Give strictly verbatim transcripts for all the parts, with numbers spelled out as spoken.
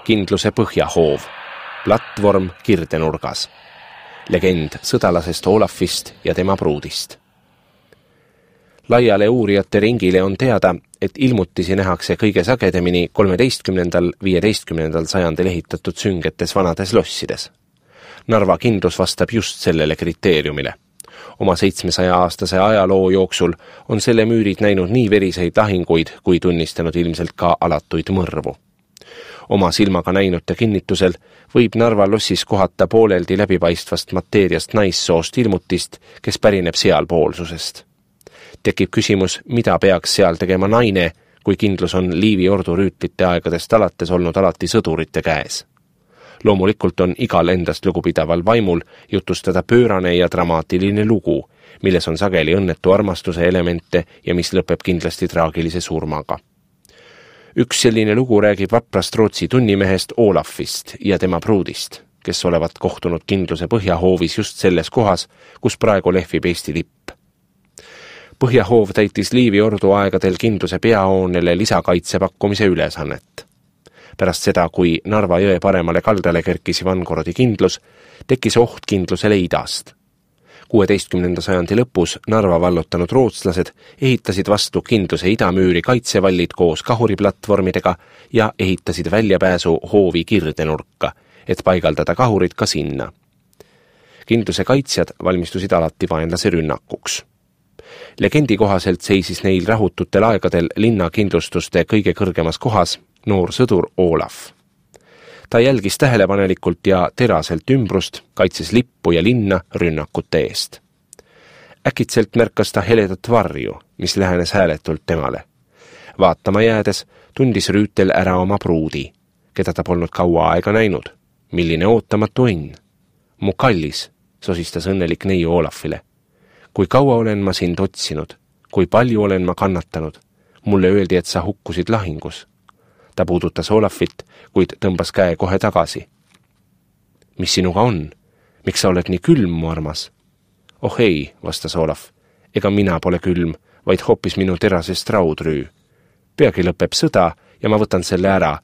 kindluse põhjahoov, platvorm kirdenurgas. Legend sõdalasest Olafist ja tema pruudist. Laiale uurijate ringile on teada, et ilmutisi nähakse kõige sagedamini kolmeteistkümnendal viieteistkümnendal sajandil ehitatud süngetes vanades lossides. Narva kindlus vastab just sellele kriteeriumile. Oma seitsmesaja aastase ajaloo jooksul on selle müürid näinud nii veriseid lahinguid, kui tunnistanud ilmselt ka alatuid mõrvu. Oma silmaga näinute kinnitusel võib Narva lossis kohata pooleldi läbipaistvast mateeriast naissoost ilmutist, kes pärineb sealpoolsusest. Tekib küsimus, mida peaks seal tegema naine, kui kindlus on Liivi ordu rüütlite aegadest alates olnud alati sõdurite käes. Loomulikult on igal endast lugupidaval vaimul jutustada pöörane ja dramaatiline lugu, milles on sageli õnnetu armastuse elemente ja mis lõpeb kindlasti traagilise surmaga. Üks selline lugu räägib vaprast Rootsi tunnimehest Olafist ja tema pruudist, kes olevat kohtunud kindluse põhjahoovis just selles kohas, kus praegu lehvib Eesti lipp. Põhjahoov täitis Liivi ordu aegadel kindluse peahoonele lisakaitse pakkumise ülesannet. Pärast seda, kui Narva jõe paremale kaldale kerkis Ivangorodi kindlus, tekkis oht kindlusele idast. kuueteistkümnenda sajandi lõpus Narva vallutanud rootslased ehitasid vastu kindluse idamüüri kaitsevallid koos kahuriplatvormidega ja ehitasid väljapääsu hoovi kirdenurka, et paigaldada kahurid ka sinna. Kindluse kaitsjad valmistusid alati vaenlase rünnakuks. Legendi kohaselt seisis neil rahututel aegadel linna kindlustuste kõige kõrgemas kohas noor sõdur Olaf. Ta jälgis tähelepanelikult ja teraselt ümbrust, kaitses lippu ja linna rünnakute eest. Äkitselt märkas ta heledat varju, mis lähenes hääletult temale. Vaatama jäädes tundis rüütel ära oma pruudi, keda ta polnud kaua aega näinud. Milline ootamatu õnn. Mu kallis, sosistas õnnelik neiu Olafile. Kui kaua olen ma sind otsinud, kui palju olen ma kannatanud. Mulle öeldi, et sa hukkusid lahingus. Ta puudutas Olafit, kuid tõmbas käe kohe tagasi. Mis sinuga on? Miks sa oled nii külm, mu armas? Oh ei, vastas Olaf. Ega mina pole külm, vaid hoopis minu terasest raudrüü. Peagi lõpeb sõda ja ma võtan selle ära.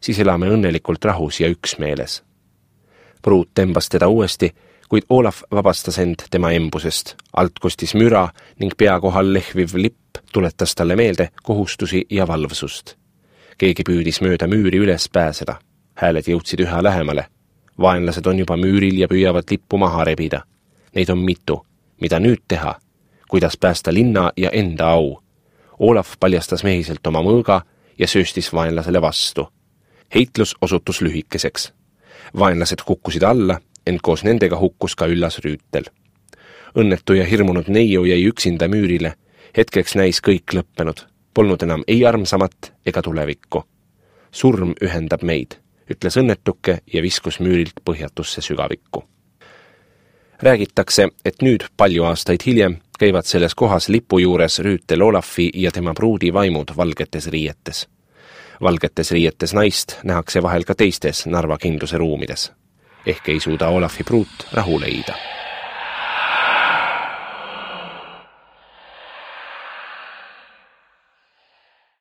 Siis elame õnnelikult rahus ja üksmeeles. Pruut tõmbas teda uuesti, kuid Olaf vabastas end tema embusest. Alt kostis müra ning pea kohal lehviv lipp tuletas talle meelde kohustusi ja valvsust. Keegi püüdis mööda müüri üles pääseda. Hääled jõudsid üha lähemale. Vaenlased on juba müüril ja püüavad lippu maha rebida. Neid on mitu. Mida nüüd teha? Kuidas päästa linna ja enda au? Olaf paljastas mehiselt oma mõõga ja sööstis vaenlasele vastu. Heitlus osutus lühikeseks. Vaenlased kukkusid alla, ent koos nendega hukkus ka üllas rüütel. Õnnetu ja hirmunud neiu jäi üksinda müürile. Hetkeks näis kõik lõppenud. Polnud enam ei armsamat ega tulevikku. Surm ühendab meid, ütles õnnetuke ja viskus müürilt põhjatusse sügavikku. Räägitakse, et nüüd palju aastaid hiljem käivad selles kohas lipu juures rüütel Olafi ja tema pruudi vaimud valgetes riietes. Valgetes riietes naist nähakse vahel ka teistes Narva kindluse ruumides. Ehk ei suuda Olafi pruut rahu leida.